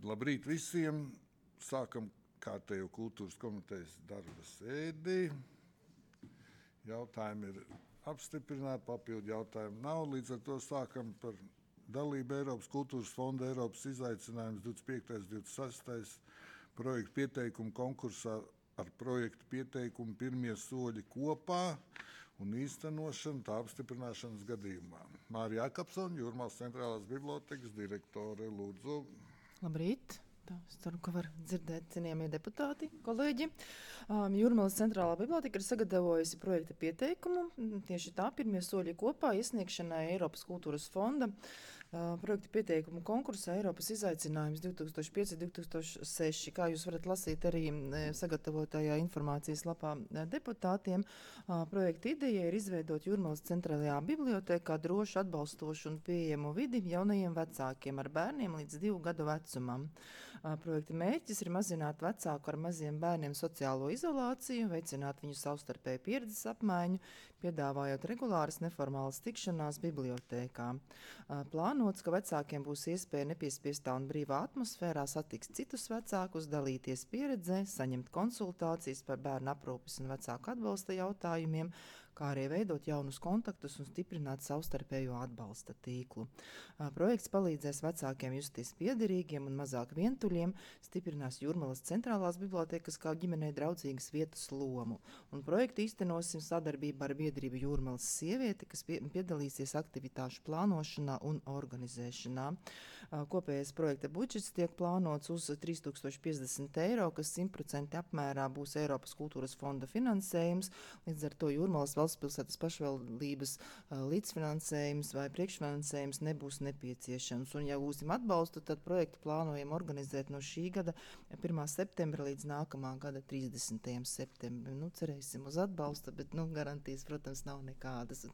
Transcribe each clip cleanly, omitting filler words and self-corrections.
Labrīt visiem! Sākam kārtējo kultūras komitejas darba sēdi. Jautājumi ir apstiprināti, papildu jautājumu nav. Līdz ar to sākam par dalību Eiropas kultūras fonda Eiropas izaicinājums 25. 26. projektu pieteikumu konkursā ar projektu pieteikumu pirmie soļi kopā un īstenošanu tā apstiprināšanas gadījumā. Mārija Jakobsone, Jūrmālas centrālās bibliotekas direktore, lūdzu. Labrīt! Es ceru, ka var dzirdēt cienījamie deputāti, kolēģi. Jūrmālas centrālā biblioteka ir sagatavojusi projekta pieteikumu. Tieši tā pirmie soļi kopā iesniegšanai Eiropas kultūras fonda projekta pieteikumu konkursā Eiropas izaicinājums 2005-2006. Kā jūs varat lasīt arī sagatavotajā informācijas lapā deputātiem, projekta ideja ir izveidot Jūrmālas centrālajā bibliotekā drošu, atbalstošu un pieejamu vidi jaunajiem vecākiem ar bērniem līdz 2 gadu vecumam. Projekta mērķis ir mazināt vecāku ar maziem bērniem sociālo izolāciju, veicināt viņu savstarpēju pieredzes apmaiņu, piedāvājot regulāras neformālas tikšanās bibliotēkā. Plānots, ka vecākiem būs iespēja nepiespiestā un brīvā atmosfērā satikt citus vecākus, dalīties pieredzē, saņemt konsultācijas par bērnu aprūpes un vecāku atbalsta jautājumiem, kā arī veidot jaunus kontaktus un stiprināt savstarpējo atbalsta tīklu. Projekts palīdzēs vecākiem justies piederīgiem un mazāk vientuļiem, stiprinās Jūrmālas centrālās bibliotekas kā ģimenei draudzīgas vietas lomu. Un projektu īstenosim sadarbībā ar biedrību Jūrmālas sieviete, kas piedalīsies aktivitāšu plānošanā un organizēšanā. Kopējais projekta budžets tiek plānots uz 3050 eiro, kas 100% apmērā būs Eiropas kultūras fonda finansējums, līdz ar to Jūrmālas valstspilsētas pašvaldības līdzfinansējums vai priekšfinansējums nebūs nepieciešams. Un ja gūsim atbalstu, tad projektu plānojam organizēt no šī gada 1. septembra līdz nākamā gada 30. septembrim. Cerēsim uz atbalstu, bet garantijas, protams, nav nekādas.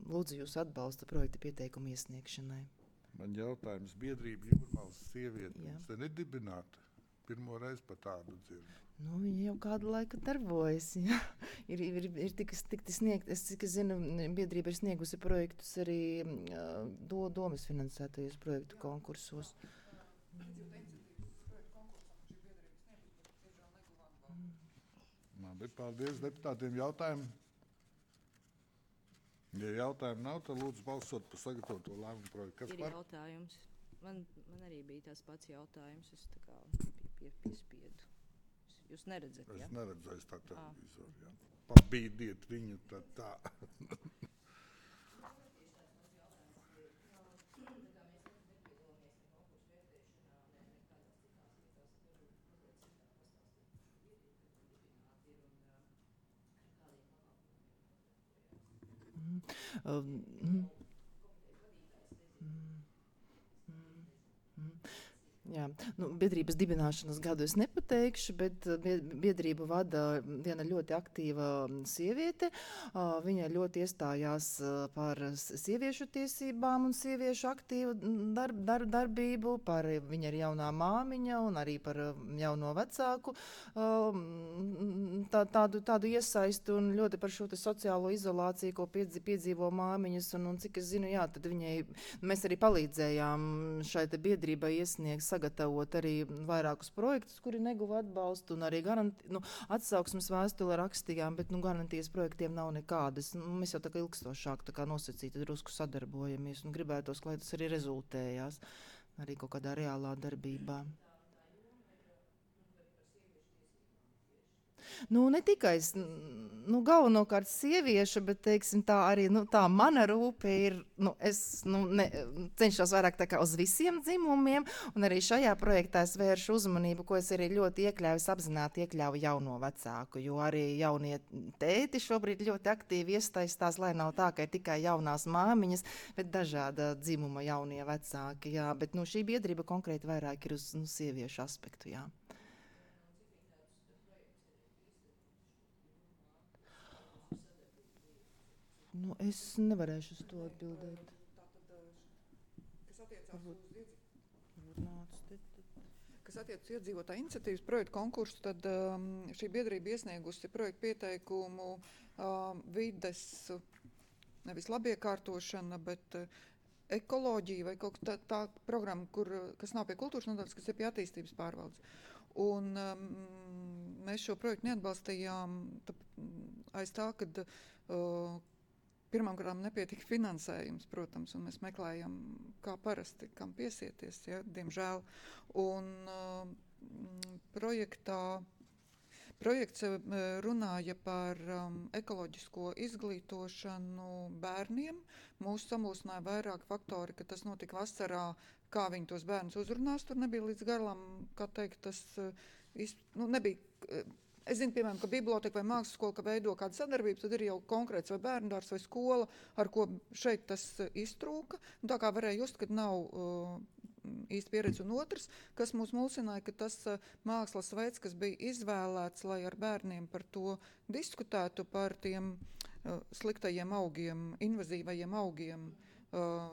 Lūdzu jūs atbalstu projekta pieteikumu iesniegšanai. Man jautājums, biedrība Jūrmālas sieviete, jums te nedibināta? Pirmo reizi par tādu dzirdu. Viņa jau kādu laiku darbojas. Ja. Ir tik sniegt, es cik zinu, biedrība ir sniegusi projektus arī domas finansētajos projektu konkursos. Labi, paldies deputātiem. Jautājumu? Ja jautājumu nav, tad lūdzu balsot par sagatavoto lēmumu projektu. Ir jautājums. Man arī bija tās pats jautājums. Es tā kā piespiedu. Jūs neredzat, ja? Es neredzēju tā televizoru, jā. Pabīdiet viņu tad tā. Jā, biedrības dibināšanas gadu es nepateikšu, bet biedrību vada viena ļoti aktīva sieviete. Viņa ļoti iestājās par sieviešu tiesībām un sieviešu aktīvu darbību, viņa ir jaunā māmiņa un arī par jauno vecāku tādu iesaistu un ļoti par šo sociālo izolāciju, ko piedzīvo māmiņas. Un cik es zinu, jā, tad mēs arī palīdzējām šai biedrībai iesniegt, sagatavot arī vairākus projektus, kuri neguva atbalstu, un arī atsauksmes vēstuli rakstījām, bet garantijas projektiem nav nekādas. Mēs jau tā kā ilgstošāk nosacīti drusku sadarbojamies un gribētos, lai tas arī rezultējās arī kaut kādā reālā darbībā. Ne tikai galvenokārt sieviešu, bet, teiksim, tā arī tā mana rūpe ir, es cenšos vairāk tā kā uz visiem dzimumiem, un arī šajā projektā es vēršu uzmanību, ko es arī ļoti apzināti iekļauju jauno vecāku, jo arī jaunie tēti šobrīd ļoti aktīvi iesaistās, lai nav tā, ka ir tikai jaunās māmiņas, bet dažāda dzimuma jaunie vecāki, jā, bet šī biedrība konkrēti vairāk ir uz sieviešu aspektu, jā. Es nevarēšu uz to atbildēt. Kas attiecas uz iedzīvotāju iniciatīvas projektu konkursu, tad šī biedrība iesniegusi projektu pieteikumu vides, nevis labiekārtošana, bet ekoloģija vai kaut tā programma, kas nav pie kultūras nodaļas, kas ir pie attīstības pārvaldes. Un mēs šo projektu neatbalstījām aiz tā, kad pirmām kārtām nepietika finansējums, protams, un mēs meklējam, kā parasti, kam piesieties, ja, diemžēl. Un projekts runāja par ekoloģisko izglītošanu bērniem. Mūs samulsināja vairāk faktori, ka tas notika vasarā, kā viņi tos bērnus uzrunās. Tur nebija līdz galam, kā teikt, tas nebija. Es zinu, piemēram, ka biblioteka vai mākslas skola, ka veido kādu sadarbību, tad ir jau konkrēts vai bērndārs vai skola, ar ko šeit tas iztrūka. Un tā kā varēja just, kad nav īsti pieredze. Un otrs, kas mūs mulsināja, ka tas mākslas veids, kas bija izvēlēts, lai ar bērniem par to diskutētu, par tiem sliktajiem augiem, invazīvajiem augiem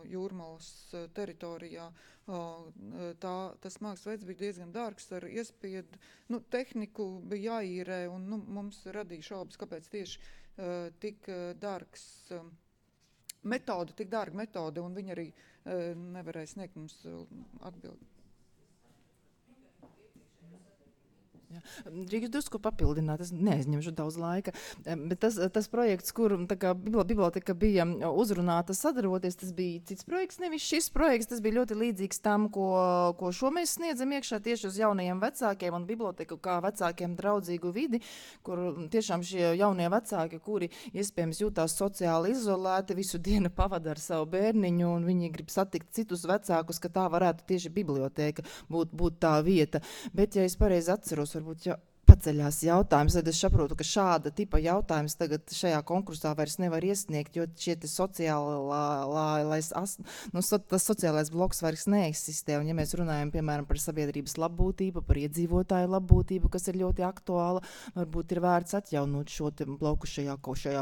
Jūrmalas teritorijā. Tas mākslas veids bija diezgan dārgs ar iespiedu. Tehniku bija jāīrē un mums radīja šaubas, kāpēc tieši tik dārgs metode, tik dārga metode, un viņi arī nevarēja sniegt mums atbildi. Drīkst drusku papildināt, es neaizņemšu daudz laika, bet tas projekts, kur biblioteka bija uzrunāta sadarboties, tas bija cits projekts, nevis šis projekts, tas bija ļoti līdzīgs tam, ko šo mēs sniedzam iekšā tieši uz jaunajiem vecākiem un biblioteku kā vecākiem draudzīgu vidi, kur tiešām šie jaunie vecāki, kuri iespējams jūtās sociāli izolēti, visu dienu pavada ar savu bērniņu un viņi grib satikt citus vecākus, ka tā varētu tieši biblioteka būt tā vieta. Bet, ja es pareizi atceros, varbūt paceļās jautājums, tad es saprotu, ka šāda tipa jautājums tagad šajā konkursā vairs nevar iesniegt, jo šie tas sociālais bloks vairs neeksistē. Un ja mēs runājam, piemēram, par sabiedrības labbūtību, par iedzīvotāju labbūtību, kas ir ļoti aktuāla, varbūt ir vērts atjaunot šo bloku šajā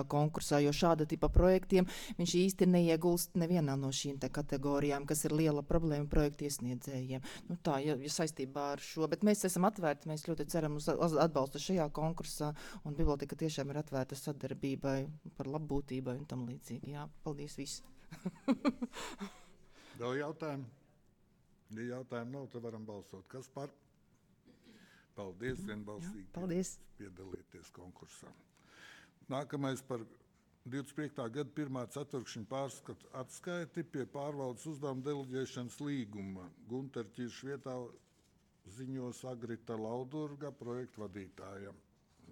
konkursā, jo šāda tipa projektiem viņš īsti neiegulst nevienā no šīm te kategorijām, kas ir liela problēma projektu iesniedzējiem. Tā, ja saistībā ar šo, bet mēs esam atvērti, mēs ļoti ceram uz atbalstu šajā konkursā, un biblioteka tiešām ir atvērta sadarbībai par labbūtībai un tam līdzīgi. Jā, paldies visi. Vēl jautājumi? Ja jautājumu nav, tad varam balsot. Kas par? Paldies, vienbalsīgi. Paldies. Piedalieties konkursā. Nākamais par 25. gada 1. ceturkšņa pārskatu atskaiti pie pārvaldes uzdevuma deleģēšanas līguma. Gunter Ķirš vietā ziņos Agrita Laudurga, projektu vadītājam.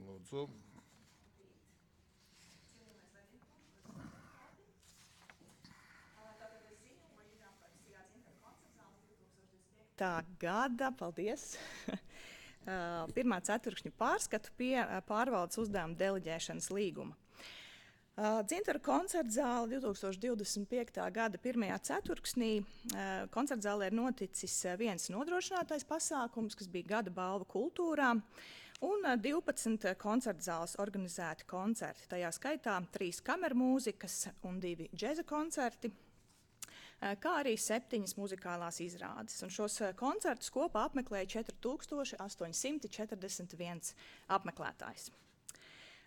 Lūdzu. Tā gada, paldies. 1. ceturkšņa pārskatu pie pārvaldes uzdevuma deleģēšanas līguma. Dzintaru koncertzāle 2025. gada 1. ceturksnī koncertzālē ir noticis viens nodrošinātais pasākums, kas bija gada balva kultūrā, un 12 koncertzāles organizēti koncerti. Tajā skaitā 3 kamermūzikas un 2 džeza koncerti, kā arī 7 muzikālās izrādes. Un šos koncertus kopā apmeklēja 4841 apmeklētājs.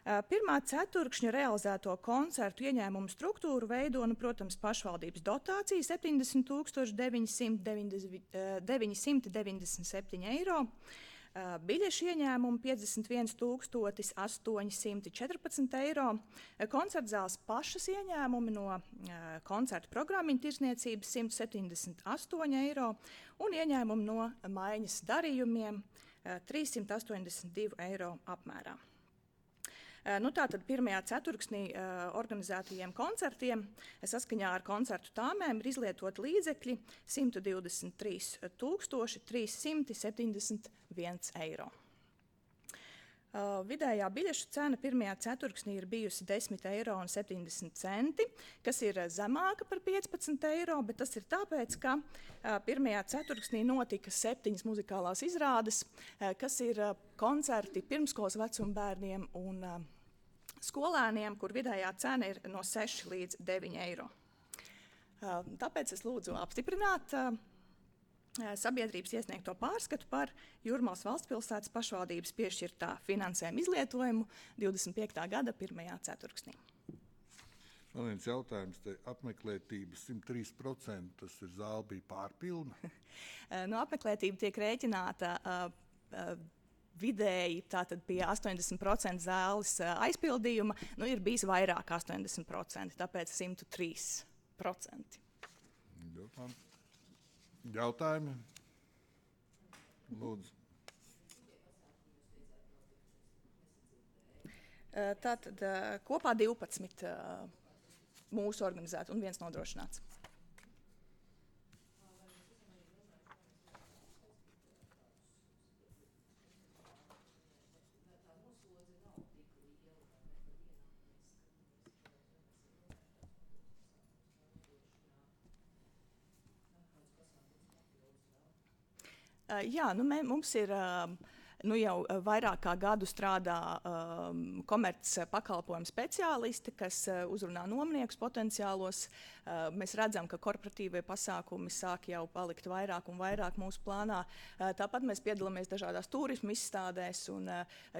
1. ceturkšņa realizēto koncertu ieņēmumu struktūru veido, protams, pašvaldības dotācija 70,997 eiro, biļešu ieņēmumu 51,814 eiro, koncertzāles pašas ieņēmumi no koncertu programmiņu tirsniecības 178 eiro un ieņēmumi no maiņas darījumiem 382 eiro apmērā. Tātad 1. ceturksnī organizētajiem koncertiem saskaņā ar koncertu tāmēm ir izlietot līdzekļi 123 371 eiro. Vidējā biļešu cena 1. ceturksnī ir bijusi 10,70 eiro, kas ir zemāka par 15 eiro, bet tas ir tāpēc, ka 1. ceturksnī notika 7 muzikālās izrādes, kas ir koncerti pirmskolas vecuma bērniem un skolēniem, kur vidējā cena ir no 6 līdz 9 eiro. Tāpēc es lūdzu apstiprināt sabiedrības iesniegto pārskatu par Jūrmalas valstspilsētas pašvaldības piešķirtā finansējuma izlietojumu 25. gada 1. ceturksnī. Man viens jautājums, te apmeklētība 103%, tas ir zāle bija pārpilna. No apmeklētība tiek rēķināta vidēji tātad pie 80% zāles aizpildījuma. Nu, ir bijis vairāk 80%, tāpēc 103%. Jautājumi? Lūdzu. Tātad kopā 12 mūsu organizēti un 1 nodrošināts. Jā, nu mums ir jau vairāk kā gadu strādā komerc pakalpojumu speciālisti, kas uzrunā nomniekus potenciālos. Mēs redzam, ka korporatīvie pasākumi sāk jau palikt vairāk un vairāk mūsu plānā. Tāpat mēs piedalāmies dažādās turismu izstādēs un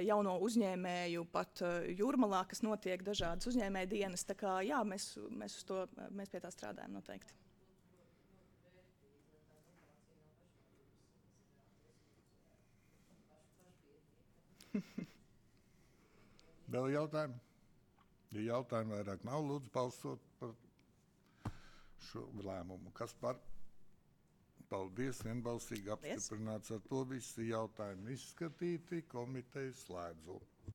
jauno uzņēmēju pat Jūrmalā, kas notiek dažādas uzņēmēju dienas. Tā kā jā, mēs pie tā strādājam noteikti. Vēl jautājumi? Ja jautājumi vairāk nav, lūdzu balsot par šo lēmumu. Kas par? Paldies, vienbalsīgi apstiprināts. Ar to visi jautājumi izskatīti, komiteju slēdzu.